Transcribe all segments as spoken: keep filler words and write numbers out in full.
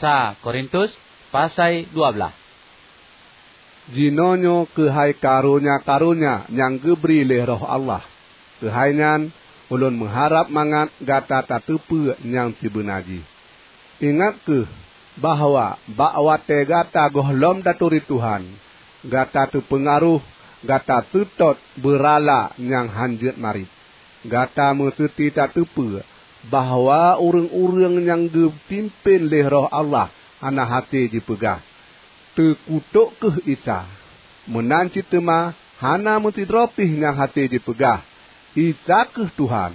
Sa Korintus, pasai dua blaih. Jinoenyoe keuhai karonya-karonya nyang geubri lé Roh Allah. Keuhai nyan, ulôn meuharab mangat gata tateupeue nyang sibeuna jih. Ingat kheueh bahwa bak watée gata gohlom taturi Tuhan, gata teupeungaroh, gata seutôt beurala nyang hán jeuet marit. Gata meuseuti tateupeue bahwa ureuëng-ureuëng nyang geupimpén lé Roh Allah hana hase jipeugah, "Teukutok kheueh Isa!" Meunan cit teuma hana meusidroe pih nyang hase jipeugah, "Isa kheueh Tuhan!"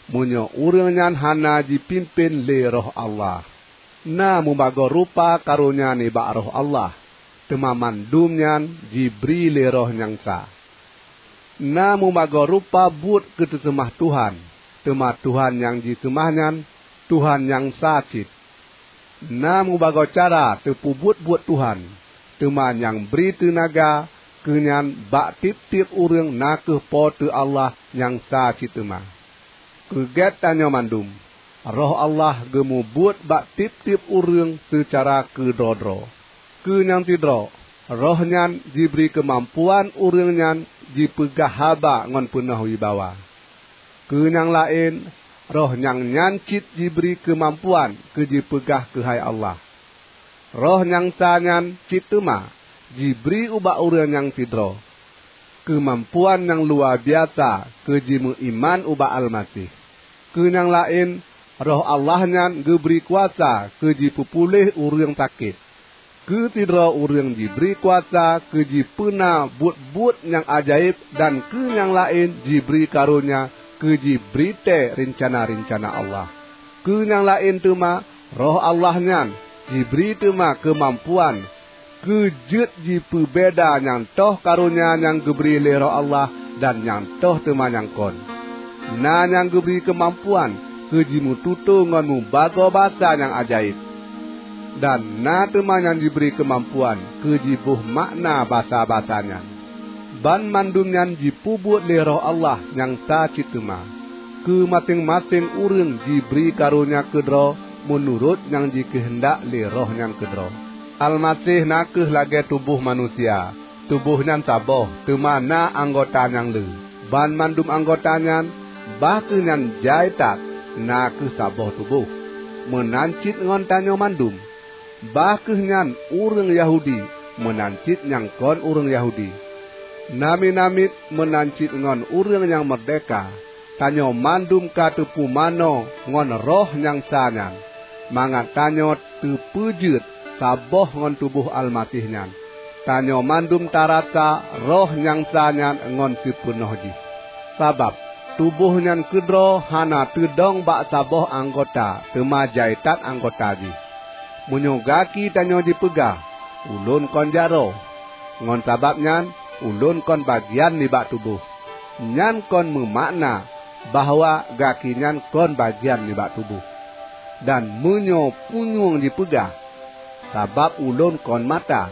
Meunyoe ureuëng nyan hana jipimpén lé Roh Allah. Na mubagoe rupa karonya nibak Roh Allah, teuma mandum nyan jibri lé Roh nyang sa. Na mubagoe rupa buet keu teuseumah Tuhan, teuma Tuhan nyang jiseumah nyan Tuhan nyang sa cit. Na mubagoe cara teupeubuet buet Tuhan, teuma nyang bri teunaga keu nyan bak tieb-tieb ureuëng na kheueh Po teu Allah nyang sa cit teuma. Keu gét tanyoe mandum, Roh Allah geumubuet bak tieb-tieb ureuëng seucara keudroe-droe. Keu nyang sidroe, Roh nyan jibri keumampuan ureuëng nyan jipeugah haba ngon peunoh wibawa. Keu nyang laén, Roh nyang nyan cit jibri keumampuan keu jipeugah keuhai Allah. Roh nyang sa nyan cit teuma jibri ubak ureuëng nyang sidroe keumampuan nyang luwa biasa keu jimeuiman ubak Almaseh. Keu nyang laén, Roh Allah nyan geubri kuasa keu jipeupuléh ureuëng sakét. Keu sidroe ureuëng jibri kuasa keu jipeuna buet-buet nyang ajaéb, dan keu nyang laén jibri karonya keu jibri tée reuncana-reuncana Allah. Keu nyang laén teuma, Roh Allah nyan jibri teuma keumampuan keu jeuet jipeubeda nyang toh karonya nyang geubri lé Roh Allah dan nyang toh teuma nyang kon. Na nyang geubri keumampuan keu jimeututoe ngon mubagoe basa nyang ajaéb, dan na teuma nyang jibri keumampuan keu jiboh makna basa-basa nyan. Banmandum nyan jipeubuet lé Roh Allah nyang sa cit teuma. Keu maséng-maséng ureuëng jibri karonya keudroe meunurot nyang jikeuheundak lé Roh nyan keudroe. Almaseh na kheueh lagée tuboh manusia. Tuboh nyan saboh, teuma na anggota nyang le. Banmandum anggota nyan, bah kheueh nyan jai that, na kheueh saboh tuboh. Meunan cit ngon tanyoe mandum. Bah kheueh nyan ureuëng Yahudi, meunan cit nyang kon ureuëng Yahudi. Namiet-namiet meunan cit ngon ureuëng nyang meurdehka, tanyoe mandum ka teupumanö ngon Roh nyang sa nyan, mangat tanyoe teupeujeuet saboh ngon tuboh Almaseh nyan. Tanyoe mandum tarasa Roh nyang sa nyan ngon sipeunoh jih. Sabab, tuboh nyan keudroe hana teudong bak saboh anggota, teuma jai that anggota jih. Meunyoe gaki tanyoe jipeugah, "Ulôn kon jaroe," ngon sabab nyan, "Ulôn kon bagian nibak tuboh," nyan kon meumakna bahwa gaki nyan kon bagian nibak tuboh. Dan meunyoe punyueng jipeugah, "Sabab ulôn kon mata,"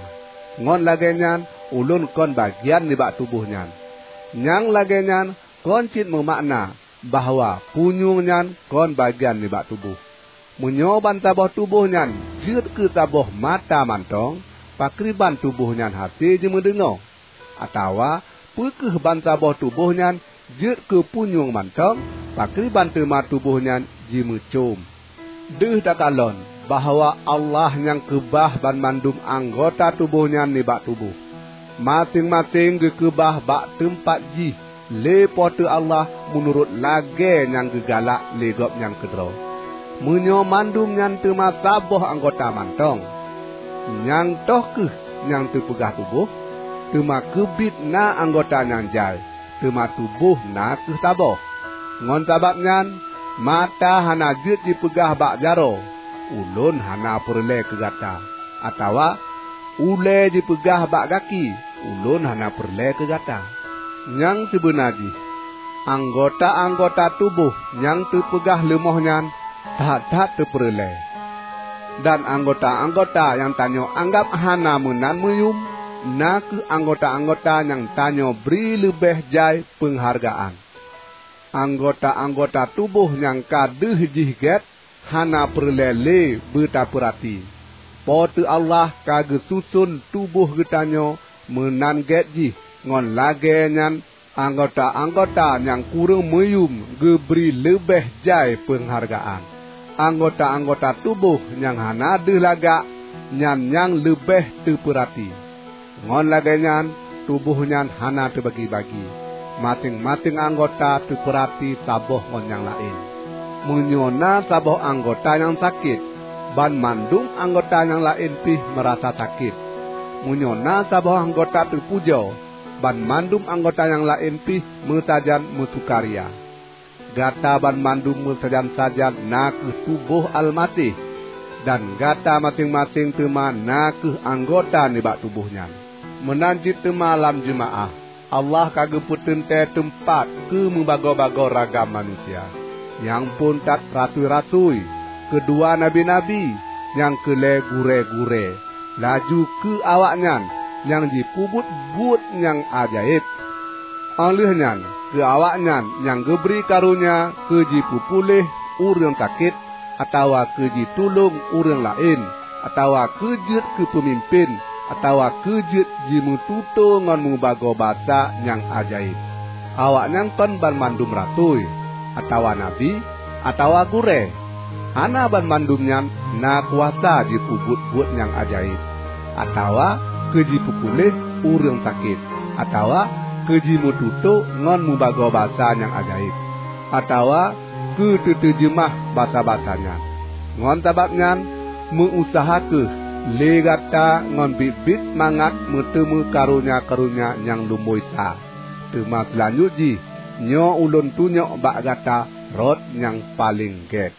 ngon lagée nyan ulôn kon bagian nibak tuboh nyan, nyang lagée nyan kon cit meumakna bahwa punyueng nyan kon bagian nibak tuboh. Meunyoe bansaboh tuboh nyan jeuet keu saboh mata mantong, pakriban tuboh nyan hase jimeudeungoe? Atawa peu kheueh bansaboh tuboh nyan jeuet keu punyueng mantong, pakriban teuma tuboh nyan jimeucom? Deuh takalon bahwa Allah nyang keubah banmandum anggota tuboh nyan nibak tuboh. Maséng-maséng geukeubah bak teumpat jih lé Po teu Allah meunurot lagée nyang geugalak lé Gobnyan keudroe. Meunyoe mandum nyan teuma saboh anggota mantong, nyang toh kheueh nyang teupeugah tuboh? Teuma keubiet na anggota nyang jai, teuma tuboh na kheueh saboh. Ngon sabab nyan, mata hana jeuet jipeugah bak jaroe, "Ulôn hana peureulée keu gata," atawa ulée jipeugah bak gaki, "Ulôn hana peureulée keu gata." Nyang sibeuna jih, anggota-anggota tuboh nyang teupeugah leumoh nyan that-that teupeureulée. Dan anggota-anggota nyang tanyoe anggab hana meunan meuyum, na kheueh anggota-anggota nyang tanyoe bri leubeh jai peunghargaan. Anggota-anggota tuboh nyang ka deuh jih gét, hana peureulée lé beutapeurati. Po teu Allah ka geususon tuboh geutanyoe meunan gét jih, ngon lagée nyan anggota-anggota nyang kureueng meuyuem geubri leubeh jai peunghargaan. Anggota-anggota tuboh nyang hana deuh lagak nyan nyang leubeh teupeurati. Ngon lagée nyan, tuboh nyan hana teubagi-bagi. Maséng-maséng anggota teupeurati saboh ngon nyang laén. Meunyoe na saboh anggota nyang sakét, banmandum anggota nyang laén pih meurasa sakét. Meunyoe na saboh anggota teupujoe, banmandum anggota nyang laén pih meusajan meusukaria. Gata banmandum meusajan-sajan na kheueh tuboh Almaseh, dan gata maséng-maséng teuma na kheueh anggota nibak tuboh nyan. Meunan cit teuma lam jeumaáh, Allah ka geupeuteuntée teumpat keu meubagoe-bagoe ragam manusia, nyang phon that rasui-rasui, keudua nabi-nabi, nyang keulhée gurée-gurée, laju keu awaknyan nyang jipeubuet buet nyang ajaéb. Óh lheueh nyan, keu awaknyan nyang geubri karonya keu jipeupuléh ureuëng sakét, atawa keu jitulông ureuëng laén, atawa keu jeuet keu peumimpén, atawa keu jeuet jimeututoe ngon mubagoe basa nyang ajaéb. Awaknyan kon banmandum rasui, atawa nabi, atawa gurée. Hana banmandum nyan na kuasa jipeubuet buet nyang ajaéb, atawa keu jipeupuléh ureuëng sakét, atawa keu jimeututoe ngon mubagoe basa nyang ajaéb, atawa keu teuteujeumah basa-basa nyan. Ngon sabab nyan, meu-useuha kheueh lé gata ngon biet-biet mangat meuteumé karonya-karonya nyang lumboi sa. Teuma seulanjut jih, nyoe ulôn tunyok bak gata rot nyang paleng gét.